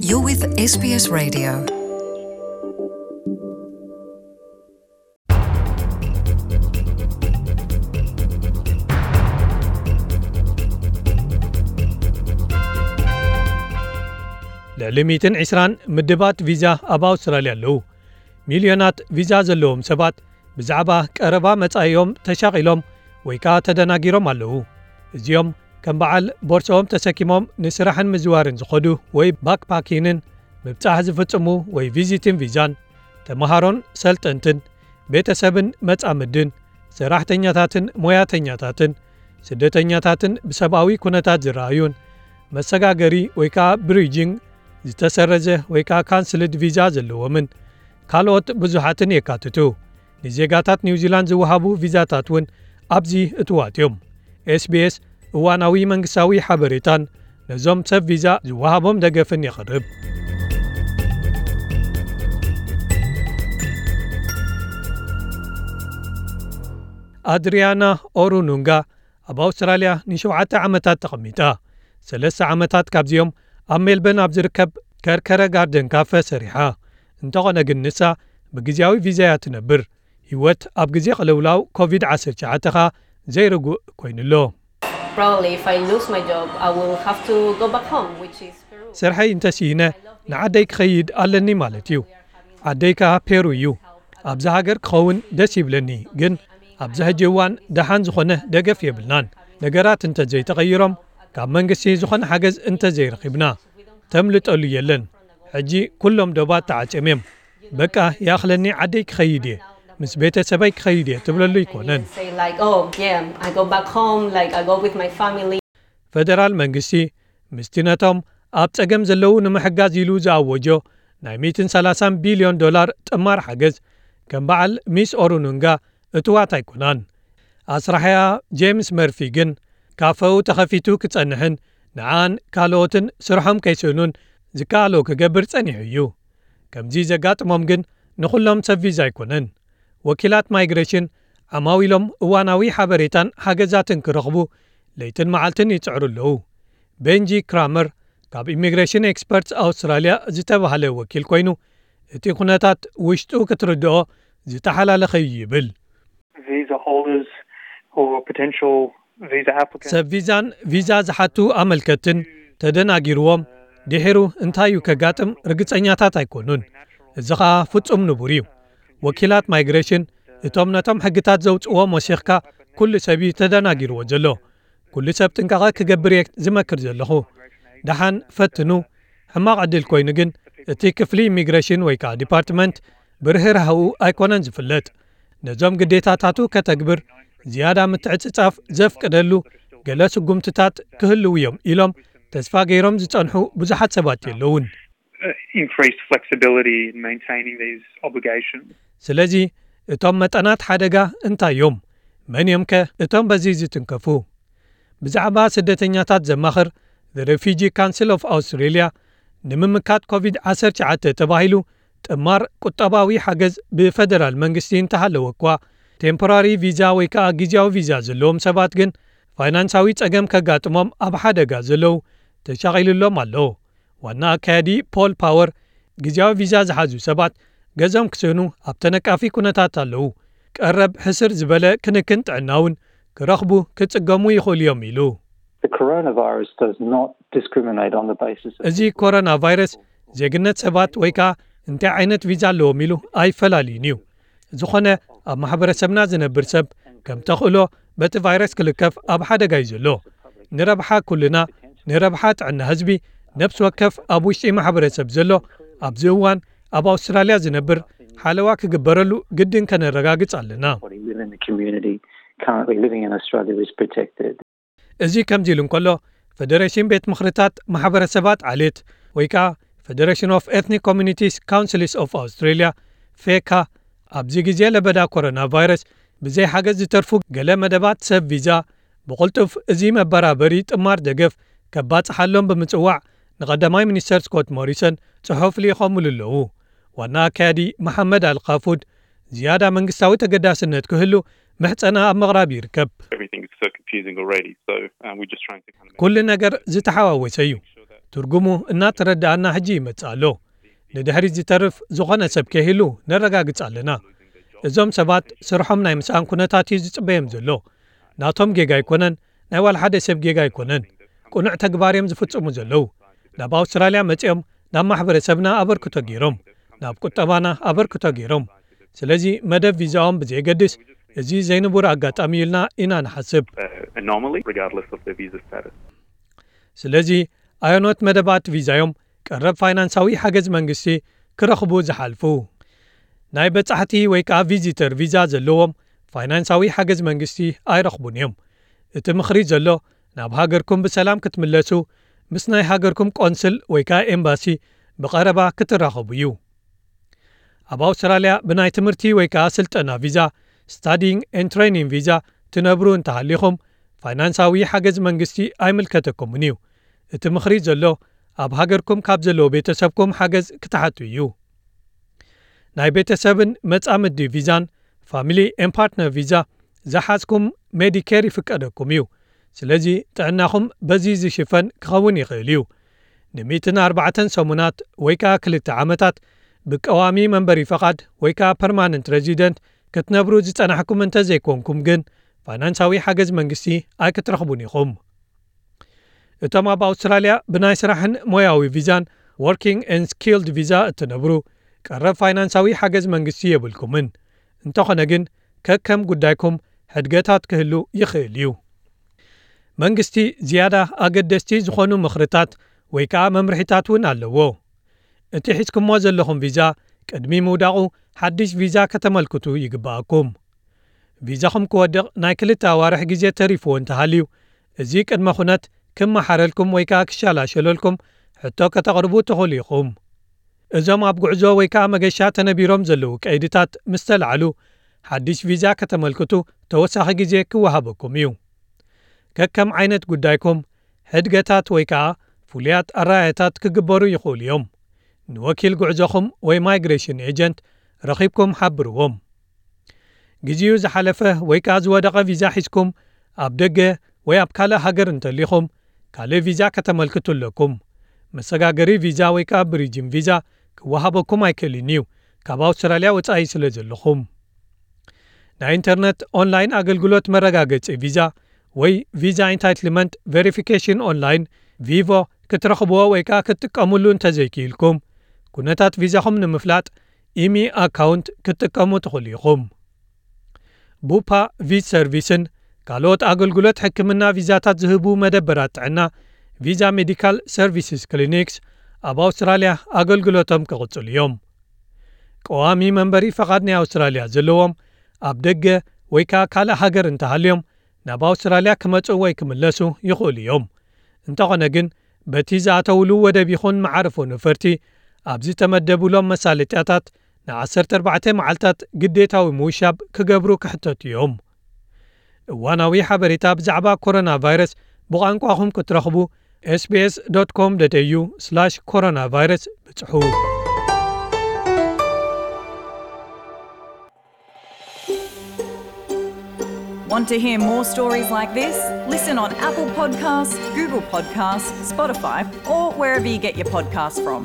You're with S B S Radio. ልዕሊ ሚእትን ዕስራን ምድባት ቪዛ ኣብ ኣውስትራልያ ኣለዉ። ሚልዮናት ቪዛ ዘለዎም ሰባት ብዛዕባ ቀረባ መጻኢኦም ተሻቒሎም ወይ ከኣ ተደናጊሮም ኣለዉ። እዚኦም ከም በዓል ቦርሳኦም ተሰኪሞም ንስራሕን ምዝዋርን ዝኸዱ ወይ ባክፓኪንን ምብጻሕ ዝፍጽሙ ወይ ቪዚትን ቪዛን፣ ተመሃሮን ሰልጠንትን፣ ቤተሰብን መጻምድን፣ ሰራሕተኛታትን ሞያተኛታትን፣ ስደተኛታትን ብሰብኣዊ ኩነታት ዝረኣዩን፣ መሰጋገሪ ወይ ከኣ ብሪጂንግ ዝተሰረዘ ወይ ከኣ ካንስልድ ቪዛ ዘለዎምን ካልኦት ብዙሓትን የካትቱ። ንዜጋታት ኒውዚላንድ ዝወሃቡ ቪዛታት እውን ኣብዚ እትዋት እዮም። ኤስቢኤስ እዋናዊ መንግስታዊ ሓበሬታን ነዞም ሰብ ቪዛ ዝወሃቦም ደገፍን የቕርብ። ኣድሪያና ኦሩኑንጋ ኣብ ኣውስትራልያ ንሸውዓተ ዓመታት ተቐሚጣ። ሰለስተ ዓመታት ካብዚኦም ኣብ ሜልበርን ኣብ ዝርከብ ከርከረ ጋርደን ካፈ ሰሪሓ። እንተኾነ ግን ንሳ ብግዜያዊ ቪዛ እያ ትነብር። ህይወት ኣብ ግዜ ቅልውላው ኮቪድ ዓሰርተ ትሽዓተ ኸኣ ዘይርጉእ ኮይኑ ኣሎ። Probably if I lose my job, I will have to go back home, which is Peru. ስርሐይ እንተስኢነ ንዓደይ ክኸይድ ኣለኒ ማለት እዩ። ዓደይ ከኣ ፔሩ እዩ። ኣብዚ ሃገር ክኸውን ደስ ይብለኒ፣ ግን ኣብዚ ሕጂ እዋን ደሓን ዝኾነ ደገፍ የብልናን። ነገራት እንተዘይተቐይሮም፣ ካብ መንግስቲ ዝኾነ ሓገዝ እንተዘይረኺብና፣ ተምልጠሉ የለን። ሕጂ ኩሎም ዶባት ተዓጽዮም እዮም። በቃ ይኣኽለኒ፣ ዓደይ ክኸይድ እየ፣ ምስ ቤተሰበይ ክኸይድ እየ ትብለሉ ኣይኮነን። Say like, "Oh, yeah, I go back home, like, I go with my family." ፈደራል መንግስቲ ምስቲ ነቶም ኣብ ጸገም ዘለዉ ንምሕጋዝ ኢሉ ዝኣወጆ ናይ ሚእትን ሰላሳን ቢልዮን ዶላር ጥማር ሓገዝ ከም በዓል ሚስ ኦሩኑንጋ እትዋት ኣይኮናን። ኣስራሕያ ጄምስ መርፊ ግን ካፈኡ ተኸፊቱ ክጸንሕን ንዓን ካልኦትን ስርሖም ከይስእኑን ዝከኣሎ ክገብር ጸኒሑ እዩ። ከምዚ ዘጋጥሞም ግን ንኹሎም ሰብ ቪዛ ኣይኮነን። ወኪላት ማይግሬሽን ዓማዊሎም እዋናዊ ሓበሬታን ሓገዛትን ክረኽቡ ለይትን መዓልትን ይጽዕሩ ኣለዉ። ቤንጂ ክራመር ካብ ኢሚግሬሽን ኤክስፐርትስ ኣውስትራልያ ዝተባህለ ወኪል ኮይኑ፣ እቲ ኩነታት ውሽጡ ክትርድኦ ዝተሓላለኸ እዩ ይብል። Visa holders or potential visa applicants ሰብ ቪዛን ቪዛ ዝሓቱ ኣመልከትን ተደናጊርዎም ድሒሩ እንታይ እዩ ከጋጥም ርግጸኛታት ኣይኮኑን። እዚ ኸኣ ፍጹም ንቡር እዩ። ወኪላት ማይግሬሽን እቶም ነቶም ሕግታት ዘውጽእዎም ወሲኽካ ኩሉ ሰብ እዩ ተደናጊርዎ ዘሎ። ኩሉ ሰብ ጥንቃቐ ክገብር እየ ዝመክር ዘለኹ። ደሓን ፈትኑ። ሕማቕ ዕድል ኮይኑ ግን እቲ ክፍሊ ኢሚግሬሽን ወይ ከኣ ዲፓርትመንት ብርህራህኡ ኣይኮነን ዝፍለጥ። ነዞም ግዴታታቱ ከተግብር ዝያዳ ምትዕጽጻፍ ዘፍቅደሉ ገለ ስጉምትታት ክህልዉ እዮም ኢሎም ተስፋ ገይሮም ዝጸንሑ ብዙሓት ሰባት የለውን። Increased flexibility in maintaining these obligations. ስለዚ እቶም መጠናት ሓደጋ እንታይ እዮም? መን እዮም ከ እቶም በዚ ዝትንከፉ? ብዛዕባ ስደተኛታት ዘማኽር The Refugee Council of Australia ንምምካት ኮቪድ ዓሰርተ ትሽዓተ ተባሂሉ ጥማር ቁጠባዊ ሓገዝ ብፈደራል መንግስቲ እንተሃለወ እኳ፣ ቴምፖራሪ ቪዛ ወይ ከኣ ግዜያዊ ቪዛ ዘለዎም ሰባት ግን ፋይናንሳዊ ጸገም ከጋጥሞም ኣብ ሓደጋ ዘለዉ ተሻቒሉሎም ኣሎ። ዋና ኣካያዲ ፖል ፓወር፣ ግዜያዊ ቪዛ ዝሓዙ ሰባት ገዞም ክስእኑ ኣብ ተነቃፊ ኩነታት ኣለዉ። ቀረብ ሕስር ዝበለ ክንክን ጥዕና እውን ክረኽቡ ክጽገሙ ይኽእሉ እዮም ኢሉ። The coronavirus does not discriminate on the basis of እዚ ኮሮና ቫይረስ ዜግነት ሰባት ወይ ከኣ እንታይ ዓይነት ቪዛ ኣለዎም ኢሉ ኣይፈላልዩን እዩ። ዝኾነ ኣብ ማሕበረሰብና ዝነብር ሰብ ከም ተኽእሎ በቲ ቫይረስ ክልከፍ ኣብ ሓደጋ እዩ ዘሎ። ንረብሓ ኩልና፣ ንረብሓ ጥዕና ህዝቢ፣ ነፍሲ ወከፍ ኣብ ውሽጢ ማሕበረሰብ ዘሎ ኣብዚ እዋን ኣብ ኣውስትራልያ ዝነብር ሓለዋ ክግበረሉ ግድን ከነረጋግጽ ኣለና። Everybody within the community currently living in Australia is protected. እዚ ከምዚ ኢሉ እንከሎ፣ ፈደሬሽን ቤት ምኽርታት ማሕበረሰባት ዓሌት ወይ ከኣ Federation of Ethnic Communities Councils of Australia፣ ፌካ፣ ኣብዚ ግዜ ለበዳ ኮሮና ቫይረስ ብዘይ ሓገዝ ዝተርፉ ገለ መደባት ሰብ ቪዛ ብቕልጡፍ እዚ መበራበሪ ጥማር ደገፍ ከባጽሓሎም ብምጽዋዕ ንቐዳማይ ሚኒስተር ስኮት ሞሪሰን ጽሑፍ ልኢኾምሉ ኣለዉ። ዋና ኣካያዲ መሓመድ ኣልካፉድ ዝያዳ መንግስታዊ ተገዳስነት ክህሉ ምሕጸና ኣብ ምቕራብ ይርከብ። Everything is so confusing already, so, um, we're just trying to kind of ኩሉ ነገር ዝተሓዋወሰ እዩ። ትርጉሙ እናተረድኣና ሕጂ ይመጽእ ኣሎ። ንድሕሪት ዝተርፍ ዝኾነ ሰብ ከይህሉ ነረጋግጽ ኣለና። እዞም ሰባት ስርሖም ናይ ምስኣን ኩነታት እዩ ዝጽበዮም ዘሎ። ናቶም ጌጋ ኣይኮነን፣ ናይ ዋላ ሓደ ሰብ ጌጋ ኣይኮነን። ቅኑዕ ተግባር እዮም ዝፍጽሙ ዘለዉ። ናብ ኣውስትራልያ መጺኦም ናብ ማሕበረሰብና ኣበርክቶ ገይሮም፣ ናብ ቁጠባና ኣበርክቶ ገይሮም። ስለዚ መደብ ቪዛኦም ብዘየገድስ፣ እዚ ዘይንቡር ኣጋጣሚ እዩ ኢልና ኢና ንሓስብ። uh, anomaly, regardless of their visa status. ስለዚ ኣየኖት መደባት ቪዛዮም ቀረብ ፋይናንሳዊ ሓገዝ መንግስቲ ክረኽቡ ዝሓልፉ? ናይ በጻሕቲ ወይ ከዓ ቪዚተር ቪዛ ዘለዎም ፋይናንሳዊ ሓገዝ መንግስቲ ኣይረኽቡን እዮም። እቲ ምኽሪ ዘሎ ናብ ሃገርኩም ብሰላም ክትምለሱ ምስ ናይ ሃገርኩም ቆንስል ወይ ከዓ ኤምባሲ ብቐረባ ክትራኸቡ እዩ። ኣብ ኣውስትራልያ ብናይ ትምህርቲ ወይ ከዓ ስልጠና ቪዛ፣ ስታዲንግ ኤን ትሬኒንግ ቪዛ፣ ትነብሩ እንተሃሊኹም ፋይናንሳዊ ሓገዝ መንግስቲ ኣይምልከተኩምን እዩ። እቲ ምኽሪ ዘሎ ኣብ ሃገርኩም ካብ ዘለዎ ቤተሰብኩም ሓገዝ ክትሓቱ እዩ። ናይ ቤተሰብን መጻምዲ ቪዛን ፋሚሊ ኤን ፓርትነር ቪዛ ዝሓዝኩም ሜዲኬር ይፍቀደኩም እዩ። ስለዚ ጥዕናኹም በዚ ዝሽፈን ክኸውን ይኽእል እዩ። ን104 ሰሙናት ወይ ከዓ ክልተ ዓመታት ብቀዋሚ መንበሪ ፈቓድ ወይ ከዓ ፐርማነንት ሬዚደንት ክትነብሩ ዝጸናሕኩም እንተዘይኮንኩም ግን ፋይናንሳዊ ሓገዝ መንግስቲ ኣይክትረኽቡን ኢኹም። እቶም ኣብ ኣውስትራልያ ብናይ ስራሕን ሞያዊ ቪዛን ወርኪንግ ኤን ስኪልድ ቪዛ እትነብሩ ቀረብ ፋይናንሳዊ ሓገዝ መንግስቲ የብልኩምን። እንተኾነ ግን ከከም ጉዳይኩም ሕድገታት ክህሉ ይኽእል እዩ። መንግስቲ ዝያዳ ኣገደስቲ ዝኾኑ ምኽርታት ወይ ከዓ መምርሒታት እውን ኣለዎ። እቲ ሒዝኩሞ ዘለኹም ቪዛ ቅድሚ ምውዳቑ ሓድሽ ቪዛ ከተመልክቱ ይግባኣኩም። ቪዛኹም ክወድቕ ናይ ክልተ ኣዋርሕ ግዜ ተሪፍዎ እንተሃልዩ፣ እዚ ቅድመ ኩነት ክመሓረልኩም ወይ ከዓ ክሻላሸለልኩም ሕቶ ከተቕርቡ ትኽእሉ ኢኹም። እዞም ኣብ ጉዕዞ ወይ ከዓ መገሻ ተነቢሮም ዘለዉ ቀይድታት ምስ ተላዕሉ፣ ሓድሽ ቪዛ ከተመልክቱ ተወሳኺ ግዜ ክወሃበኩም እዩ። ከከም ዓይነት ጉዳይኩም ሕድገታት ወይ ከዓ ፍሉያት ኣረኣእያታት ክግበሩ ይኽእሉ እዮም። ንወኪል ጉዕዞኹም ወይ ማይግሬሽን ኤጀንት ረኺብኩም ሓብርዎም። ግዜኡ ዝሓለፈ ወይ ከዓ ዝወደቐ ቪዛ ሒዝኩም ኣብ ደገ ወይ ኣብ ካልእ ሃገር እንተሊኹም ካልእ ቪዛ ከተመልክቱ ኣለኩም። መሰጋገሪ ቪዛ ወይ ከዓ ብሪጅን ቪዛ ክወሃበኩም ኣይክእልን እዩ፣ ካብ ኣውስትራልያ ወጻኢ ስለ ዘለኹም። ናይ ኢንተርነት ኦንላይን ኣገልግሎት መረጋገጺ ቪዛ ወይ ቪዛ ኢንታይትልመንት ቬሪፊኬሽን ኦንላይን ቪቮ ክትረኽብዎ ወይ ከዓ ክትጥቀምሉ እንተዘይክኢልኩም፣ ኩነታት ቪዛኹም ንምፍላጥ ኢሚ ኣካውንት ክትጥቀሙ ትኽእሉ ኢኹም። ቡፓ ቪዝ ሰርቪስን ካልኦት ኣገልግሎት ሕክምና ቪዛታት ዝህቡ መደበራት ጥዕና ቪዛ ሜዲካል ሰርቪስስ ክሊኒክስ ኣብ ኣውስትራልያ ኣገልግሎቶም ክቕጽሉ እዮም። ቀዋሚ መንበሪ ፈቓድ ናይ ኣውስትራልያ ዘለዎም ኣብ ደገ ወይ ከዓ ካልእ ሃገር እንተሃልዮም ናብ ኣውስትራልያ ክመጹ ወይ ክምለሱ ይኽእሉ እዮም። እንተኾነ ግን በቲ ዝኣተውሉ ወደብ ይኹን መዓርፎ ነፈርቲ ኣብ ዝተመደቡሎም መሳለጥያታት ን14 መዓልታት ግዴታዊ ምውሻብ ክገብሩ ክሕተቱ እዮም። እዋናዊ ሓበሬታ ብዛዕባ ኮሮና ቫይረስ ብቋንቋኹም ክትረኽቡ ኤስቢኤስ ዶት ኮም ዶት ኤዩ ስላሽ ኮሮና ቫይረስ ብጽሑ። Want to hear more stories like this? Listen on Apple Podcasts, Google Podcasts, Spotify, or wherever you get your podcasts from.